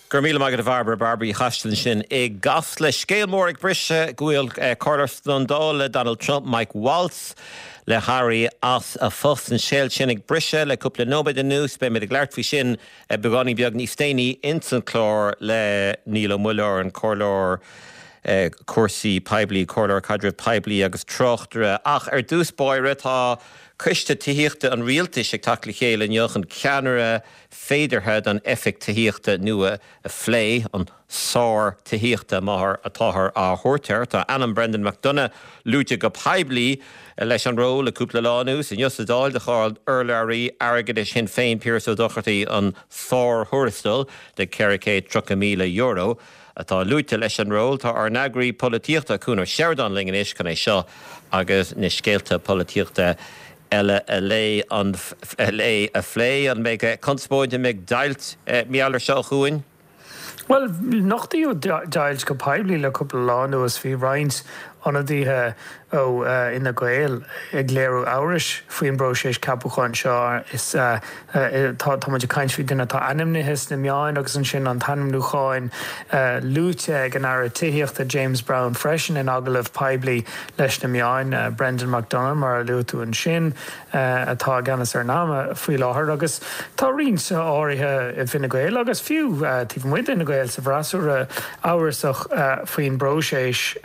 Go raibh míle maith agat a Bhairbre, Bairbre Uí Choistealbha ansin i gCasla. Scéal mór ag briseadh go bhfuil comhairleoir slándála le Donald Trump, Mike Waltz, le héirí as a phost. An scéal sin ag briseadh le cúpla nóiméad anuas. Beimid ag labhairt faoi sin beagáinín beag níos déanaí ins an chlár le Niall Ó Muilleoir, an comhairleoir cúrsaí poiblí, comhairleoir caidreamh poiblí agus tráchtaire. Ach ar dtús báire tá Coiste Tithíochta an Rialtais ag teacht le chéile inniu chun ceannaire féideartha don Oifig Tithíochta nua a phlé, an Sár Tithíochta mar atáthar á thabhairt air. Tá ainm Brendan McDonagh luaite go poiblí leis an ról le cúpla lá anuas. Inniu sa Dáil do cháin urlabhraí airgeadais Shinn Féin Piaras Ó Dochartaigh an sár-thuarastal de €430,000 atá luaite leis an ról. Tá ár n-eagraí polaitíochta Cuan Ó Seireadáin linn anois chun é seo agus na scéalta polaitíochta eile a lé an a a phlé. An mbeidh conspóid, an mbeidh deighilt mar gheall air seo a Chuain? Bhuel, nochtaíodh deighilt go poiblí le cúpla lá anuas. Bhí roinnt ionadaithe ó Fhine Gael ag léiriú amhrais faoin bpróiseas ceapúcháin seo. Is tá tá muid ag caint faoi duine atá ainmnithe sna meáin agus ansin an t-ainmniúcháin luaite ag an Aire Tithíochta James Browne freisin in agallamh poiblí leis na meáin, Brendan McDonagh, mar a luaigh tú ansin, atá i gceannas ar NAMA faoi láthair agus tá roinnt áirithe i bhFine Gael agus fiú taobh amuigh d'Fhine Gael sa bhfreasúra amhrasach faoin bpróiseas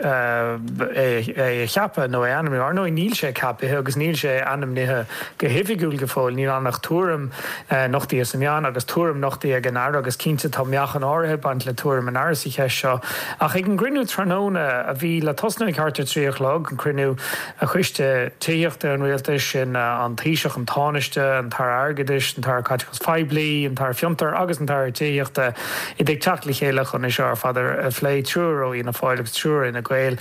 é a cheapadh nó é a ainmniú. Ar ndóigh níl sé ceapaithe agus níl sé ainmnithe go hoifigiúil go fóill, níl ann ach tuairim nochtaithe sna meáin agus tuairim nochtaithe ag an Aire agus cinnte tá meáchan áirithe ag baint le tuairim an Aire sa cheist seo. Ach ag an gcruinniú tráthnóna, a bhí le tosnú ag thart ar 3 a chlog, an cruinniú Choiste Tithíochta an Rialtais, sin an Taoiseach, an Tánaiste, an tAire Airgeadais, an tAire Caiteachais Phoiblí, an tAire Fiontar agus an tAire Tithíochta, iad ag teacht le chéile chun é seo ar fad a phlé, triúr ó Fhianna Fáil agus triúr ó Fhine Gael.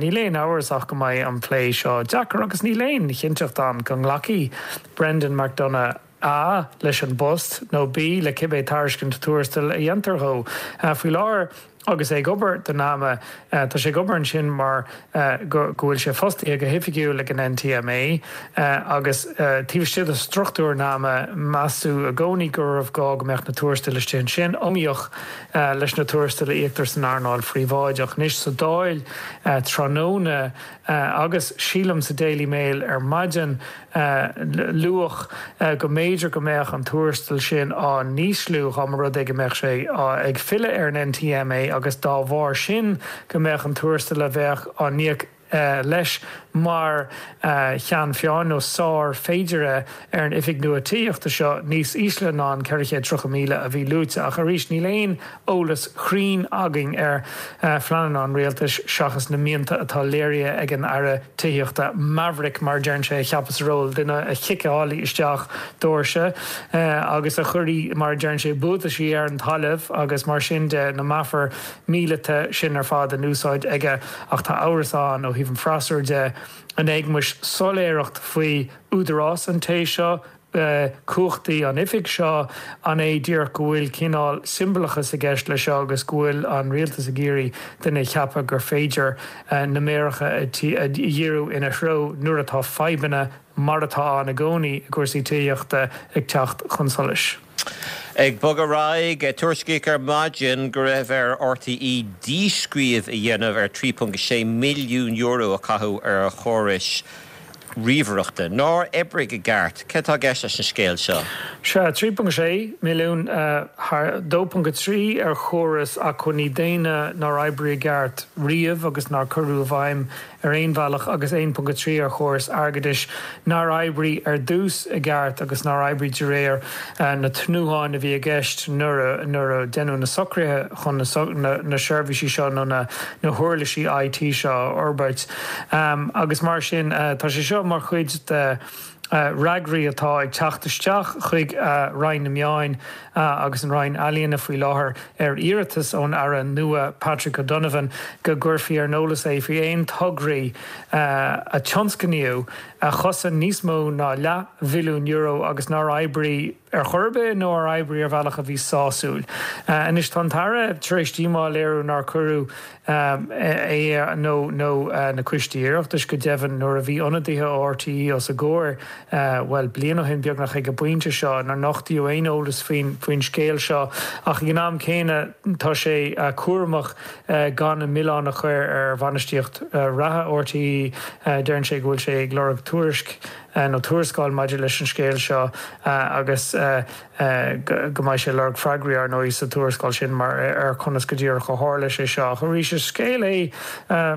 Níl aon amhras ach go mbeidh an plé seo deacair agus níl aon chinnteacht ann go nglacfaidh Brendan McDonagh, A, leis an bpost, nó B, le cibé tairiscint tuarastail a dhéantar dhó. Faoi láthair, agus é ag obair do NAMA, tá sé ag obair ansin mar go bhfuil sé fostaithe go hoifigiúil ag an NTMA, agus taobh istigh de struchtúr NAMA, measadh i gcónaí gurbh gá go mbeadh na tuarastail istigh ansin, iomaíoch leis na tuarastail a íoctar san earnáil phríobháideach. Anois, sa Dáil tráthnóna, agus sílim sa Daily Mail ar maidin, luadh go mb'fhéidir go mbeadh an tuarastal sin á n-ísliú dá mba rud é go mbeadh sé ag filleadh ar an NTMA agus dá bharr sin go mbeadh an tuarastal a bheadh á n-íoc leis mar cheann feadhain nó sár féideartha ar an oifig nua tithíochta seo níos ísle ná an 430,000 a bhí luaite. Ach arís níl aon eolas cruinn againn ar phleananna an rialtais seachas na mianta atá léirithe ag an Aire Tithíochta, maverick mar a deireann sé, a cheapadh sa ról, duine a chiceálfaidh isteach doirse agus a chuirfidh, mar a deireann sé, buataisí ar an talamh agus mar sin de, na meafair mhíleata sin ar fad in úsáid aige. Ach tá amhras ann ó thaobh an freasúra de, an éagmais soiléireacht faoi údarás an té seo, cumhachtaí an oifig seo, an é díreach go bhfuil cineál siombalachas i gceist leis seo agus go bhfuil an rialtas ag iarraidh duine a cheapadh gur féidir na méaracha a dhíriú ina threo nuair atá fadhbanna, mar atá ann i gcónaí i gcúrsaí tithíochta, ag teacht chun solais. Ag bogadh ar aghaidh, tuairiscíodh ar maidin go raibh ar RTÉ díscríobh a dhéanamh ar €3.6 milliún a caitheadh ar chórais ríomhaireachta nár oibrigh i gceart. Céard atá i gceist leis an scéal seo? Sea, 3.6 milliún, 2.3 ar chóras acmhainní daonna nár oibrigh i gceart riamh agus nár cuireadh i bhfeidhm ar aon bhealach agus 1.3 ar chóras airgeadais nár oibrigh ar dtús i gceart agus nár oibrigh de réir na tnútháin a bhí i gceist nuair a deineadh na socruithe chun na seirbhísí seo nó na huirlisí IT seo a fhorbairt. Agus mar sin, tá sé seo mar chuid de fhreagraí atá ag teacht isteach chuig Roinn na Meáin agus an Roinn Ealaíona faoi láthair ar iarratas ón Aire nua Patrick O'Donovan go gcuirfí ar an eolas é faoi aon tograí a tionscnaíodh. a chosain níos mó ná leathbhilliún euro agus nár oibrigh ar chor ar bith nó ar oibrigh ar bhealach a bhí sásúil. Anois tá an tAire tar éis díomá a léiriú nár cuireadh é nó na coistí Oireachtais go deimhin nuair a bhí ionadaithe ó RTÉ os a gcomhair, bhuel, bliain ó shin beagnach ag an bpointe seo, nár nochtaíodh aon eolas faoin scéal seo. Ach ag an am céanna tá sé cúramach gan an milleán a chur ar bhainistíocht reatha RTÉ. Deireann sé go bhfuil sé ag lorg tuairisc nó tuarascáil maidir leis an scéal seo agus go mbeidh sé ag lorg freagraí, ar ndóigh, sa tuarascáil sin mar ar conas go díreach a tharla sé seo. Ach arís, is scéal é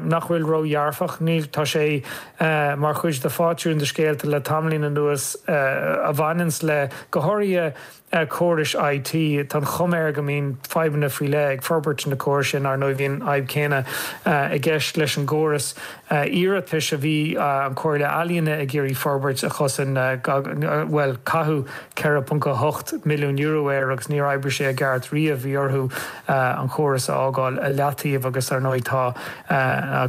nach bhfuil ródhearfach. Níl, tá sé mar chuid de phátrún de scéalta le tamaillín anuas a bhaineanns le, go háirithe, córais IT. Tá an chuma air go mbíonn fadhbanna faoi leith ag forbairt na córais sin. Ar ndóigh, bhí an fhadhb chéanna i gceist leis an gcóras iarratais a bhí an Chomhairle Ealaíona ag iarraidh forbairt a chosain, bhuel, caitheadh €4.8 milliún air agus níor oibrigh sé i gceart riamh. Bhí orthu an córas a fhágáil i leataobh agus, ar ndóigh, tá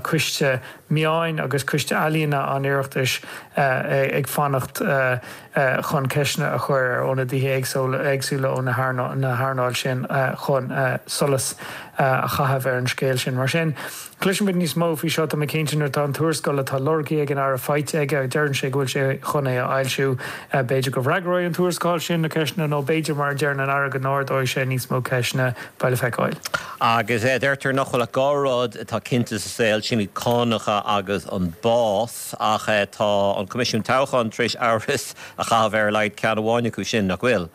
Coiste Meáin agus Coiste Ealaíona an Oireachtais ag fanacht chun ceisteanna a chur ar ionadaithe éagsúla ó na hearnáil sin chun solas a chaitheamh ar an scéal sin. Mar sin, cloisfimid níos mó faoi seo, tá mé cinnte, nuair atá an tuarascáil atá lorgtha ag an Aire faighte aige. Deireann sé go bhfuil sé chun é a fhoilsiú. B'fhéidir go bhfreagróidh an tuarascáil sin na ceisteanna nó b'fhéidir, mar a deireann an Aire, go n-ardóidh sé níos mó ceisteanna. Beidh le feiceáil. Agus deirtear nach bhfuil ach 2 rud atá cinnte sa saol, sin iad cánacha agus an bás. Ach tá an Coimisiún Toghcháin tar éis amhras a chaitheamh ar a laghad ceann amháin acu sin, nach bhfuil?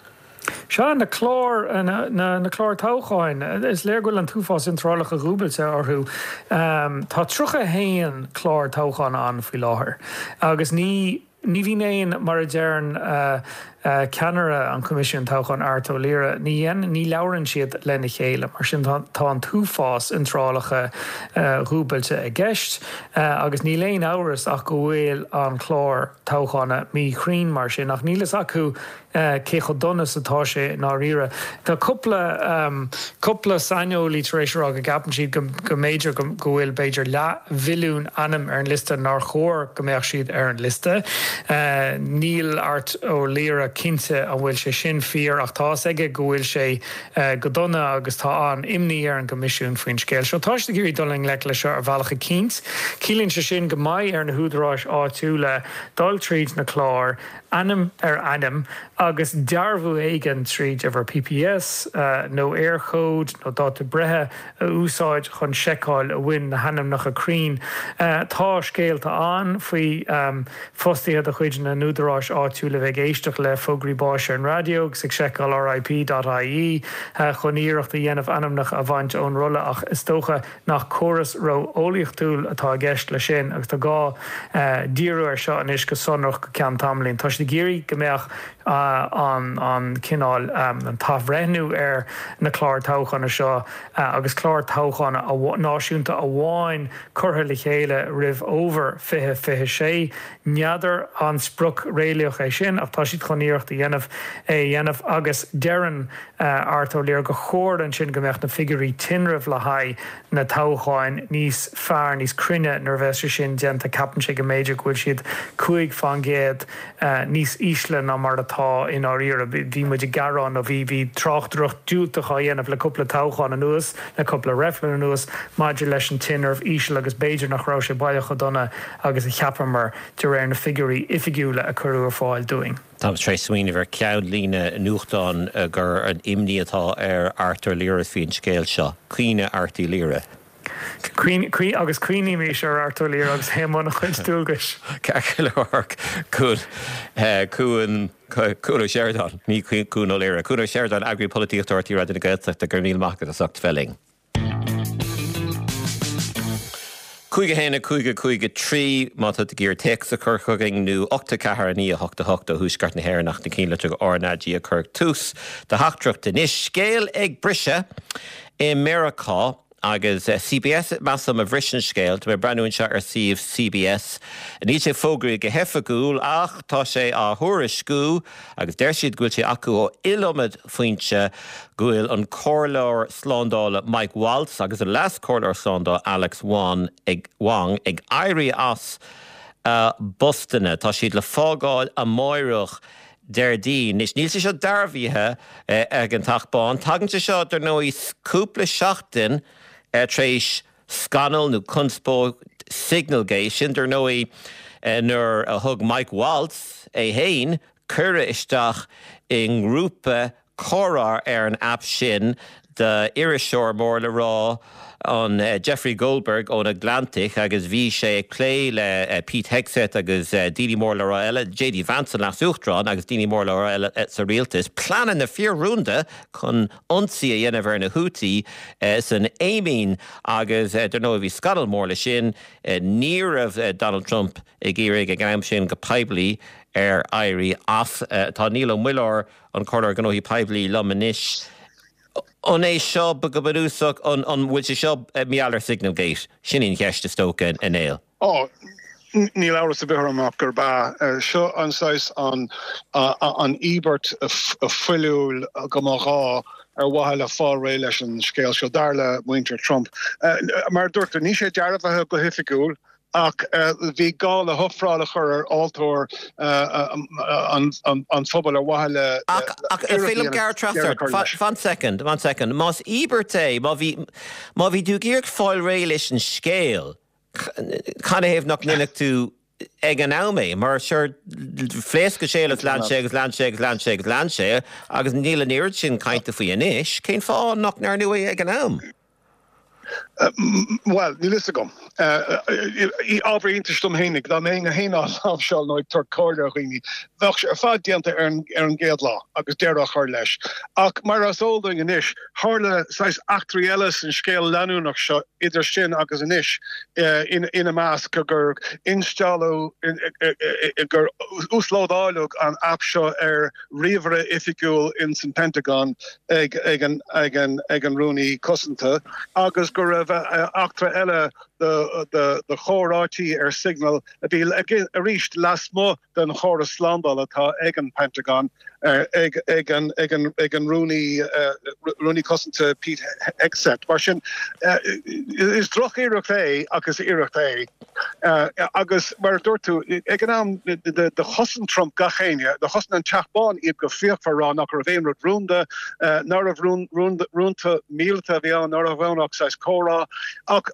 Sea, na cláir, na cláir toghcháin. Is léir go bhfuil an t-uafás iontrálacha dúbailte orthu. Tá 31 clár toghcháin ann faoi láthair agus ní. Ní bhíonn aon, mar a deireann ceannaire an Choimisiúin Toghcháin, Art Ó Laoire, ní dhéanann, ní labhrann siad lena chéile. Mar sin tá an t-uafás iontrálacha dhúbailte i gceist agus níl aon amhras ach go bhfuil an clár toghchána míchruinn mar sin. Ach níl fhios acu cé chomh dona is atá sé i ndáiríre. Tá cúpla cúpla saineolaí tar éis a rá go gceapann siad go go mb'fhéidir go go bhfuil b'fhéidir leathmhilliún ainm ar an liosta nár chóir go mbeadh siad ar an liosta. Níl Art Ó Laoire cinnte an bhfuil sé sin fíor ach tá fhios aige go bhfuil sé go dona agus tá an-imní ar an gCoimisiún faoin scéal seo. Tá siad ag iarraidh dul i ngleic leis seo ar bhealach eicínt. Ciallaíonn sé sin go mbeidh ar na húdaráis áitiúla dul tríd na cláir ainm ar ainm agus dearbhú éigin tríd uimhir PPS nó Eircode nó dáta breithe a úsáid chun seiceáil an bhfuil na hainmneacha cruinn. Tá scéalta ann faoi fostaithe de chuid na n-údaráis áitiúil a bheith ag éisteacht le fógraí báis ar an raidió agus ag seiceáil RIP.ie chun iarracht a dhéanamh ainmneacha a bhaint ón rolla ach is dócha nach córas ró-eolaíochtúil atá i gceist leis sin agus tá gá díriú air seo anois go sonrach go ceann tamaillín. Tá siad ag iarraidh go mbeadh an cineál, an t-athbhreithniú ar na cláir toghchána seo agus clár toghchána náisiúnta amháin curtha le chéile roimh fhómhar 2026. N'fheadar an sprioc réalaíoch é sin ach tá siad chun iarracht a dhéanamh é a dhéanamh agus deireann Art Ó Laoire gur chóir ansin go mbeadh na figiúirí tinrimh le haghaidh na toghcháin níos fearr, níos cruinne nuair a bheas sé sin déanta. Ceapann sé go mb'fhéidir go bhfuil siad 5 fán gcéad níos ísle ná mar atá i ndáiríre. Bhí muid ag gearán nó bhí bhí tráchtaireacht diúltach á dhéanamh le cúpla toghchán anuas, le cúpla reifreann anuas maidir leis an tinreamh íseal agus b'fhéidir nach raibh sé baileach chomh dona agus a cheapamar de réir na figiúirí oifigiúla a cuireadh ar fáil dúinn. Táim tar éis smaoineamh ar cheannlíne nuachtáin gur an imní atá ar Art Ó Laoire faoin scéal seo. Caoineadh Art Uí Laoire. Caoin, agus caoinímís ar Art Ó Laoire agus é i mbun a chuid dualgais. Ceart go leor, Cuan, Cuan, Cuan Ó Seireadáin, ní Cuan Ó Laoire, Cuan Ó Seireadáin, Eagraí Polaitíochta RTÉ Raidió na Gaeltachta, go raibh míle maith agat as ucht bheith linn. 5 1 5 5 3 má tá tú ag iarraidh téacs a chur chugainn nó 8 4 9 8 8 ó Thuaisceart na hÉireann ach na cinnlitreacha RnaG a chur ag tús do theachtaireacht anois. Scéal ag briseadh i Meiriceá agus CBS measaim a bhris an scéal. Tá mé ag breathnú anseo ar suíomh CBS. Níl sé fógraithe go hoifigiúil ach tá sé á thuairisciú agus deir siad go bhfuil sé acu ó iliomad foinse go bhfuil an Comhairleoir Slándála Mike Waltz agus an Leas-Chomhairleoir Slándála Alex Wong ag Wong ag éirí as. a bpostanna. Tá siad le fágáil amáireach, Déardaoin. Anois, níl sé seo dearbhaithe ag an Teach Bán. Tagann sé seo, dar ndóigh, cúpla seachtain tar éis scannal nó conspóid Signalgate. Sin, dar ndóigh, nuair a thug Mike Waltz é féin cuireadh isteach i ngrúpa comhrá ar an aip sin d'iriseoir mór le rá, an Jeffrey Goldberg ón Atlantic agus bhí sé ag plé le Pete Hegseth agus daoine mór le rá eile, JD Vance an Leas-Uachtarán agus daoine mór le rá eile sa rialtas, pleananna fíor-rúnda chun ionsaí a dhéanamh ar na Houthi san Éimín agus dar ndóigh bhí scannal mór leis sin. Ní raibh Donald Trump ag iarraidh ag an am sin go poiblí air éirí as. Tá Niall Ó Muilleoir, an Comhairleoir Gnóthaí Poiblí liom anois. An é seo go bunúsach, an bhfuil sé seo mar gheall ar Signalgate? Sin í an cheist is dócha, a Néill. Ó, níl amhras ar bith orm ach gurb ea. Seo an saghas an an íobairt fuiliúil go mba ghá ar mhaithe le fáil réidh leis an scéal seo, dar le muintir Trump. Mar a dúirt tú, níl sé dearbhaithe go hoifigiúil. Ach bhí gá le hofráil a chur ar altóir an phobail ar mhaithe le Ach, ach, an féidir liom gearradh trasna ort? Fan soicind, fan soicind. Más íobairt é, má bhí, má bhí tú ag iarraidh fáil réidh leis an scéal, canathaobh nach ndéanfadh tú ag an am é? Mar sure, phléasc an scéal agus lean sé agus lean sé agus lean sé agus lean sé agus níl an oiread sin cainte faoi anois. Cén fáth nach ndearnadh é ag an am? Bhuel, níl fhios agam. Ábhar iontais dom fhéinig, dá mbeinn fhéin á láimhseáil nó ag tabhairt comhairle ar dhaoine, bheadh sé ar fad déanta ar an gcéad lá agus deireadh á chur leis. Ach mar is eol dúinn anois, tharla saghas eachtraí eile san scéal leanúnach seo idir sin agus anois, ina measc gur instealladh, gur uaslódáileadh an aip seo ar ríomhaire oifigiúil ins an Pentagon ag an Rúnaí Cosanta agus go raibh eachtra eile de chomhráití ar Signal a bhí arís lasmuigh den chóras slándála atá ag an Pentagon ag an Rúnaí Cosanta Pete Hegseth. Mar sin, is drochiarracht é ach is iarracht é. Agus mar a dúirt tú, ag an am do chosain Trump gach éinne, do chosain an Teach Bán iad go fíochmhar ag rá nach raibh aon rud rúnda, ná raibh rúnta míleata a bhí ann, ná raibh ann ach saghas comhrá. Ach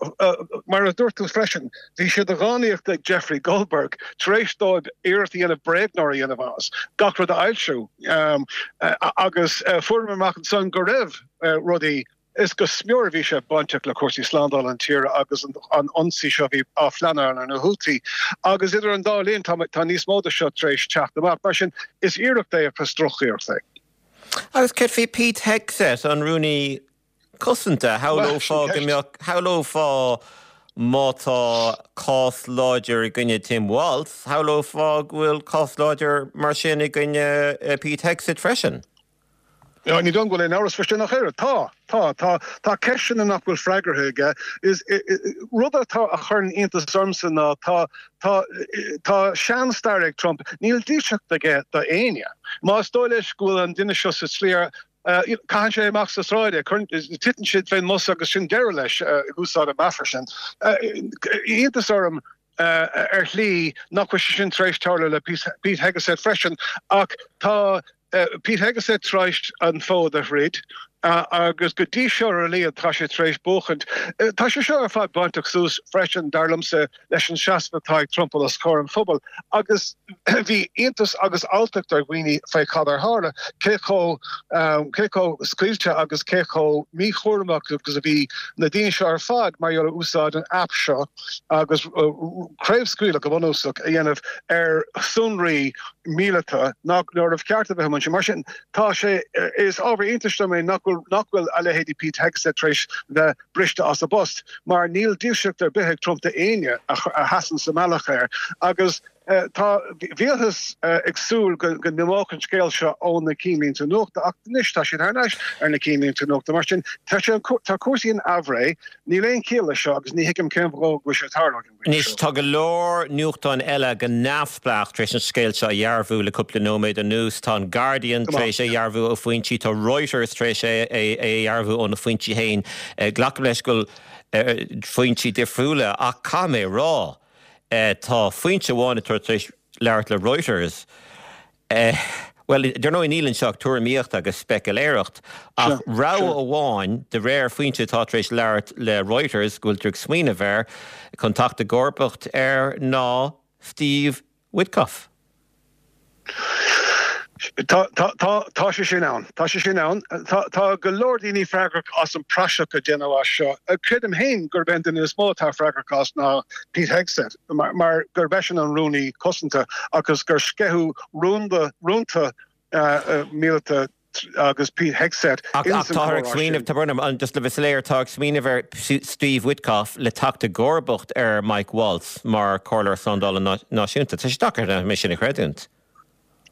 mar a dúirt tú freisin, bhí sé de dhánaíocht ag Jeffrey Goldberg, tar éis dóibh iarracht a dhéanamh bréagnóir a dhéanamh as, gach rud a fhoilsiú. Agus fuaireamar amach ansan go raibh rudaí Is go smior a bhí sé bainteach le cúrsaí slándála na tíre agus an ionsaí seo a bhí á phleanáil ar na Houthi. Agus idir an dá linn tá níos mó de seo tar éis teacht amach. Mar sin, is iarracht é ach is drochiarracht é. Agus céard faoi Pete Hegseth, an Rúnaí Cosanta? Shamhlófá go mbeadh, shamhlófá má tá cás láidir i gcoinne Tim Walz, shamhlófá go bhfuil cás láidir mar sin i gcoinne Pete Hegseth freisin. Ní dóigh liom go bhfuil aon amhras faoi sin ach oiread. Tá. Tá. Tá. Tá ceisteanna nach bhfuil freagartha aige. Is rud atá a chuireann iontas ormsa ná tá tá tá sean-stair ag Trump. Níl dílseacht aige do éinne. Más dóigh leis go bhfuil an duine seo sa tslí ar caitheann sé amach sa tsráid é, titeann siad fén mbos agus sin deireadh leis, ag úsáid an meafar sin. Iontas orm ar shlí nach bhfuil sé sin tar éis tarlú le Pete Hegseth freisin ach tá Pete Hegseth tar éis an fód a throid agus go dtí seo ar a laghad tá sé tar éis buachaint. Tá sé seo ar fad bainteach suas freisin, dar liomsa, leis an seasamh atá ag Trump os comhair an phobail agus bhí iontas agus alltacht ar dhaoine fé cad ar tharla, cé chomh cé chomh scaoilte agus cé chomh míchúramach agus a bhí na daoine seo ar fad mar gheall ar úsáid an aip seo agus craobhscaoileadh go bunúsach a dhéanamh ar shonraí míleata nach raibh ceart a bheith ansin. Mar sin, tá sé, is ábhar iontais dom é nach bhfuil, nach bhfuil a leithéidí Pete Hegseth tar éis bheith briste as a bpost, mar níl dílseacht ar bith ag Trump d'éinne a sheasann sa mbealach air. Agus tá, bhíothas ag súil go n-imeodh an scéal seo ó na cinnlínte nuachta, ach anois tá siad thar n-ais ar na cinnlínte nuachta. Mar sin, tá sé, tá cúrsaí in aimhréidh, níl aon chiall leis seo agus ní thuigim cén fáth go bhfuil sé ag tarlú. Anois, tá go leor nuachtáin eile go neamhspleách tar éis an scéal seo a dhearbhú le cúpla nóiméad anuas. Tá an Guardian tar éis é a dhearbhú ó foinsí, tá Reuters tar éis é a dhearbhú óna foinsí féin. Glacaim leis go bhfuil foinsí difriúla ach caithfidh mé a rá. Tá foinse amháin atá tar éis labhairt le Reuters, bhuel, dar ndóigh níl anseo ach tuairimíocht agus speiciléireacht, ach rogha amháin, de réir foinse atá tar éis labhairt le Reuters, go bhfuiltear ag smaoineamh air chun teacht i gcomharbacht air ná Steve Witkoff. Tá, tá, tá, tá sé sin ann. Tá sé sin ann. Tá, tá go leor daoine freagrach as an praiseach a déanadh as seo. Creidim féin gurb é an duine is mó atá freagrach as ná Pete Hegseth, mar, mar gurb eisean an Rúnaí Cosanta agus gur sceitheadh rúnda, rúnta míleata agus Pete Hegseth Ach, ach táthar ag smaoineamh, tá brón orm, just le bheith soiléir, tá ag smaoineamh ar Steve Witkoff le teacht i gcomharbacht ar Mike Waltz mar Chomhairleoir Slándála Náisiúnta. Tá sé deacair é sin a chreidiúint.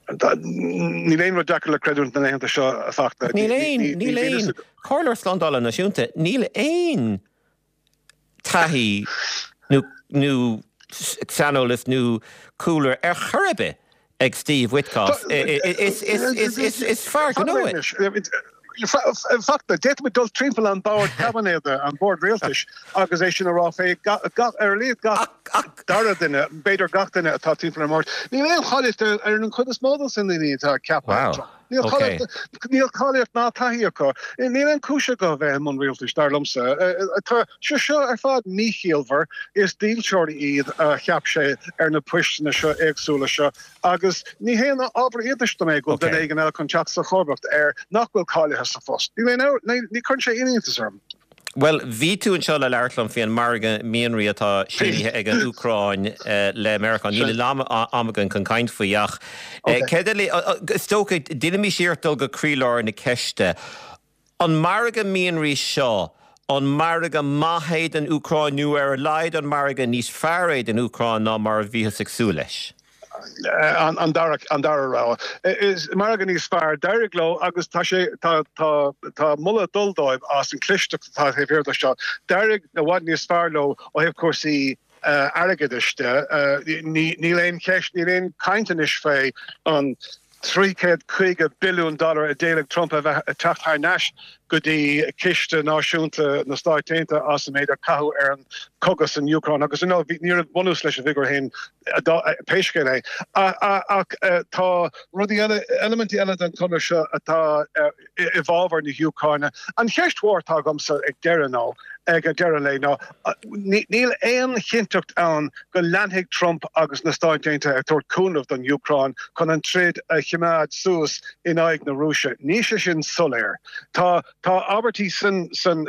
Níl aon rud deacair le creidiúint na laethanta seo, a Fachtna. Níl aon, níl aon, Comhairleoir Slándála Náisiúnta, níl aon taithí nó, nó saineolas nó cúlra ar chor ar bith ag Steve Witkoff. Is, is, is, is, is fear gnó é. Fachtna, d'fhéadfadh muid dul timpeall an bord caibinéid, an bord rialtais, agus é sin a rá fé ar a laghad gach dara duine, b'fhéidir gach duine atá timpeall ar an mbord. Níl aon cháilíocht ar an chuid is mó de na daoine atá ceaptha. Níl cáilíocht, níl cáilíocht ná taithí acu. Níl aon chúis acu a bheith i mbun rialtais, dar liomsa. Tá sé seo ar fad míchiallmhar. Is dílseoirí iad a cheap sé ar na poisteanna seo éagsúla seo. Agus ní haon ábhar iontais dom é go bhfuil duine éigin eile chun teacht sa chomharbacht air nach bhfuil cáilithe sa phost. Níl aon, ní chuireann sé aon iontas orm. Bhuel, bhí tú anseo le labhairt liom faoi an margadh mianraí atá sínithe ag an Úcráin le Meiriceá. Níl a lán ama againn chun caint faoi ach céard eile, is dócha, déanaimis iarracht dul go croílár na ceiste. An margadh mianraí seo, an margadh maith é don Úcráin nó ar a laghad an margadh níos fearr é don Úcráin ná mar a bhíothas ag súil leis? An dara an dara rogha. Is margadh níos fearr. D'éirigh leo agus tá sé tá tá tá moladh ag dul dóibh as an chlisteacht atá taobh thiar de seo. D'éirigh i bhfad níos fearr leo ó thaobh cúrsaí airgeadais de. Níl aon cheist, níl aon chaint anois fé an 350 billiún dollar a d'éiligh Trump a bheith ag teacht thar n-ais go dtí Ciste Náisiúnta na Stáit Aontaithe as an méid a caitheadh ar an chogadh san Úcráin agus you know ní raibh bunús leis an bhfigiúr féin pé scéal é. Ach tá rudaí eile, eilimintí eile den chonradh seo atá i bhfabhar na hÚcráine. An cheist mhór atá agamsa ag deireadh ná, ag deireadh an lae ná, níl aon chinnteacht ann go leanfaidh Trump agus na Stáit Aontaithe ag tabhairt cúnamh don Úcráin chun an troid a choimeád suas in aghaidh na Rúise. Níl sé sin soiléir. Tá tá abairtí san san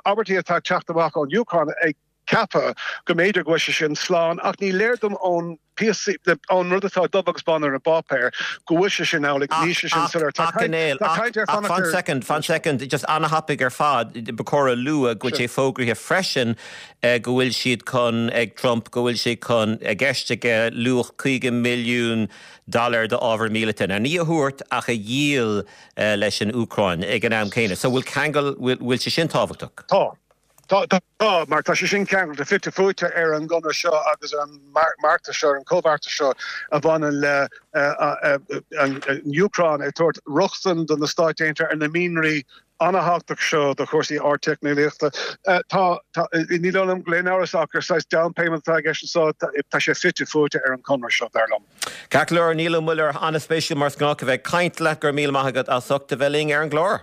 abairtí atá ag teacht amach ón Úcráin ag ceapadh go mb'fhéidir go bhfuil sé sin slán, ach ní léir dom ón píosa, ón rud atá dubh agus bán ar an bpáipéar, go bhfuil sé sin amhlaidh. Níl sé sin soiléir. Tá caint, tá caint ar fanacht ar. Fan soicind, fan soicind, just ana-thapaidh ar fad, ba chóir a lua go bhfuil sé fógraithe freisin go bhfuil siad chun, ag Trump, go bhfuil sé chun, i gceist aige luach 50 milliún dollar d'ábhar míleata, now ní a thabhairt ach a dhíol leis an Úcráin ag an am céanna. So bhfuil ceangal, bhfuil sé sin tábhachtach? Tá. Tá, tá, mar tá sé sin ceangailte fite fuaite ar an gconradh seo agus ar an mbeartas seo, ar an chomhbheartas seo a bhaineann le an Úcráin ag tabhairt rochtain do na Stáit Aontaithe ar na mianraí an-thábhachtach seo do chúrsaí ardteicneolaíochta. Tá, tá, ní dóigh liom go bhfuil aon amhras ach gur saghas down payment atá i gceist anseo, tá sé fite fuaite ar an chonradh seo, dar liom. Ceart go leor, Niall Ó Muilleoir, an-spéisiúil mar is gnách a bheith ag caint leat, go raibh míle maith agat as ucht a bheith linn ar an gclár.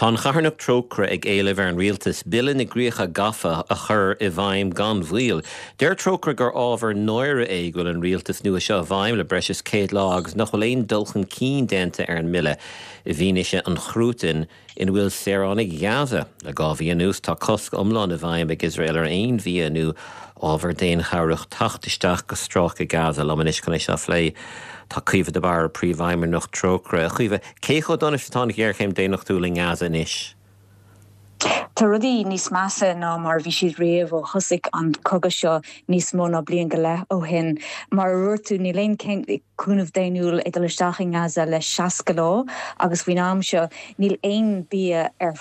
Tá an charthanacht Trócaire ag éileamh ar an rialtas Bille na gCríocha Gafa a chur i bhfeidhm gan mhoill. Deir Trócaire gur ábhar náire é go bhfuil an rialtas nua seo i bhfeidhm le breis is 100 lá agus nach bhfuil aon dul chun cinn déanta ar an mbille i bhfianaise an chruatain ina bhfuil saoránaigh Ghaza. Le 2 mhí anuas, tá cosc iomlán i bhfeidhm ag Iosrael ar aon bhia nó ábhar daonchabhrach teacht isteach go Stráice Gaza. Liom anois chun é seo a phlé tá Caoimhe de Barra, Príomhfheidhmeannach Trócaire. A Chaoimhe, cé chomh dona is atá an ghéarchéim daonnachtúil i nGaza anois? Tá rudaí níos measa ná mar a bhí siad riamh ó thosaigh an cogadh seo níos mó ná bliain go leith ó shin. Mar a dúirt tú, níl aon cúnamh daonnúil ag dul isteach i nGaza le 60 lá agus faoin am seo níl aon bia ar.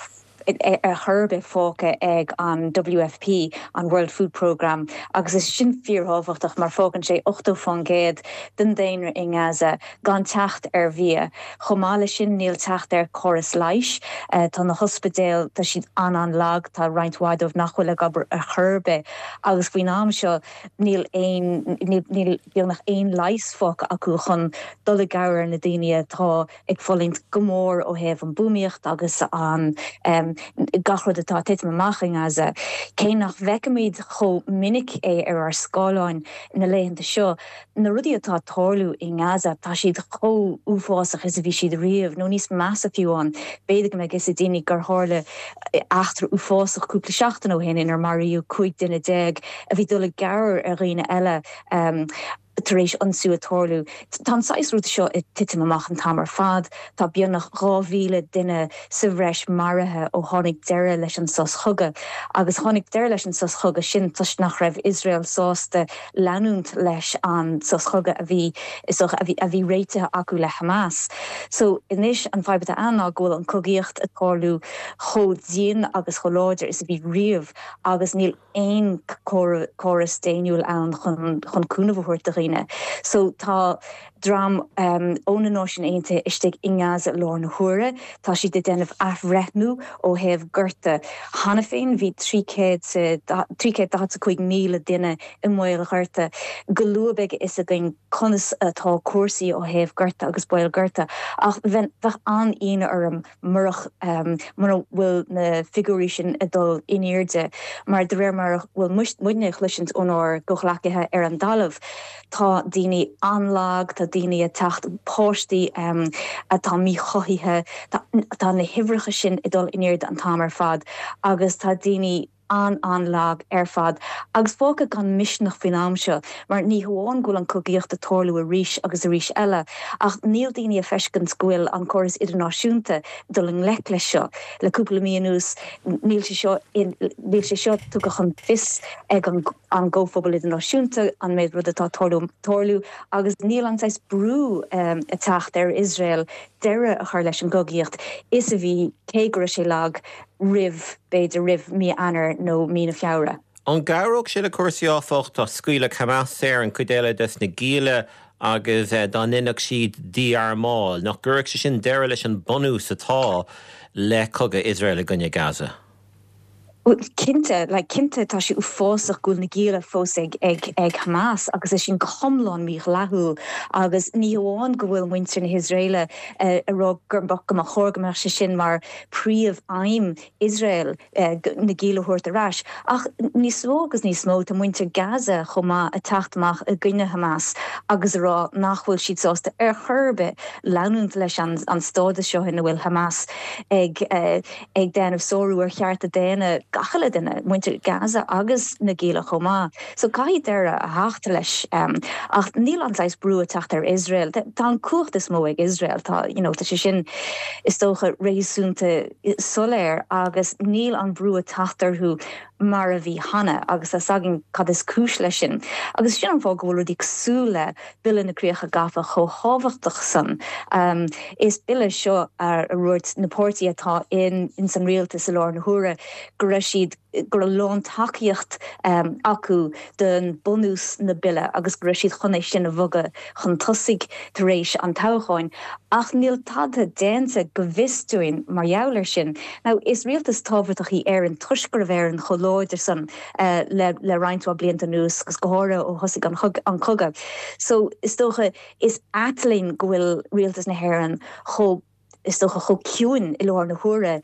ar chor ar bith fágtha ag an WFP, an World Food Programme, agus is sin fíorthábhachtach mar fágann sé 80% den daonra i nGaza gan teacht ar bhia. Chomh maith leis sin níl teacht ar chóras leighis. Tá na hospidéil, tá siad an-an-lag, tá roinnt mhaith dóibh nach bhfuil ag obair ar chor ar bith agus faoin am seo níl aon, níl beagnach aon leigheas fágtha acu chun dul i gcabhair ar na daoine atá ag fulaingt go mór ó thaobh an buamaíocht agus an gach rud atá ag titim amach i nGaza. Cé nach bhfeicimid chomh minic é ar ár scáileáin na laethanta seo, na rudaí atá ag tarlú i nGaza, tá siad chomh uafásach is a bhí siad riamh, nó níos measa fiú amháin. B'fhéidir go mbeidh fhios ag daoine gur tharla eachtra uafásach cúpla seachtain ó shin inar maraíodh 15 duine a bhí ag dul i gcabhair ar dhaoine eile. Tar éis ionsú ag tarlú. Tá an saghas rud seo ag titim amach an t-am ar fad. Tá beagnach 2,000 duine sa bhreis maraithe ó tháinig deireadh leis an sos chogaidh. Agus tháinig deireadh leis an sos chogaidh sin toisc nach raibh Iosrael sásta leanúint leis an sos chogaidh a bhí, is dócha, a bhí, a bhí réitithe acu le Hamas. So anois an fadhb atá ann ná go bhfuil an cogaíocht ag tarlú chomh dian agus chomh láidir is a bhí riamh agus níl aon córas daonnúil ann chun cúnamh a thabhairt do dhaoine. So tá dream ó na Náisiúin Aontaithe istigh i nGaza i láthair na huaire. Tá siad ag déanamh athbhreithniú ó thaobh gorta. Cheana féin bhí 345,000 duine i mbaol gorta. Go luath beidh a fhios againn conas atá cúrsaí ó thaobh gorta agus baol gorta. Ach bheadh an-ionadh orm murach mura bhfuil na figiúirí sin ag dul in airde, mar de réir mar a bhfuil muidne ag chloisint ónár gcomhghleacaithe ar an dtalamh, tá daoine an-lag, tá daoine ag teacht, páistí atá míchothaithe, tá na huimhreacha sin ag dul in airde an t-am ar fad agus tá daoine. an-an-lag ar fad agus fágtha gan misneach faoin am seo mar ní hamháin go bhfuil an cogaíocht ag tarlú arís agus arís eile ach níl daoine ag feiscint go bhfuil an córas idirnáisiúnta ag dul i ngleic leis seo. Le cúpla mí anuas níl sé seo níl sé seo tugtha chun fios ag an an gcomhphobal idirnáisiúnta an méid rud atá ag tarlú agus níl an saghas brú ag teacht ar Iosrael deireadh a chur leis an gcogaíocht is a bhí cé go raibh sé lag roimh, b'fhéidir, roimh mí Eanáir nó mí na Feabhra. An gcabhródh sé le cúrsaí, áfach, dá scaoilfeadh Hamas saor an chuid eile des na gialla agus dá ndéanfadh siad dí-armáil, nach gcuirfeadh sé sin deireadh leis an bunús atá le cogadh Iosrael i gcoinne Gaza? Cinnte, like, cinnte tá sé uafásach go bhfuil na gialla fós ag, ag, ag Hamas agus é sin go hiomlán mídhleathúil agus ní hamháin go bhfuil muintir na hIosraeile ag rá gur, go mba chóir go mbeadh sé sin mar príomh-aidhm Iosrael na gialla a thabhairt ar ais. Ach níos mó agus níos mó, tá muintir Gaza chomh maith ag teacht amach i gcoinne Hamas agus ag rá nach bhfuil siad sásta ar chor ar bith leanúint leis an stádas seo ina bhfuil Hamas ag ag déanamh sárú ar chearta daonna gach uile duine, muintir Gaza agus na gialla chomh maith. So caithfidh deireadh a theacht leis. Ach níl an saghas brú ag teacht ar Iosrael. Tá an cumhacht is mó ag Iosrael. Tá, you know, tá sé sin is dócha réasúnta soiléir agus níl an brú ag teacht orthu mar a bhí cheana agus tá 's againn cad is cúis leis sin. Agus sin an fáth go bhfuil rudaí cosúil le Bille na Críocha Gafa chomh thábhachtach san. Is bille seo a dúirt na páirtithe atá in ins an rialtas i láthair na huaire go raibh siad go raibh lántacaíocht acu don bunús na bille agus go raibh siad chun é sin a bhogadh chun tosaigh tar éis an toghcháin. Ach níl tada déanta go bhfios dúinn mar gheall air sin. Now is rialtas tábhachtach í Éirinn toisc go raibh Éirinn chomh láidir san le le roinnt mhaith blianta anuas agus go háirithe ó thosaigh an cogadh. So is dócha is ait linn go bhfuil rialtas na hÉireann chomh is dócha, chomh ciúin i láthair na huaire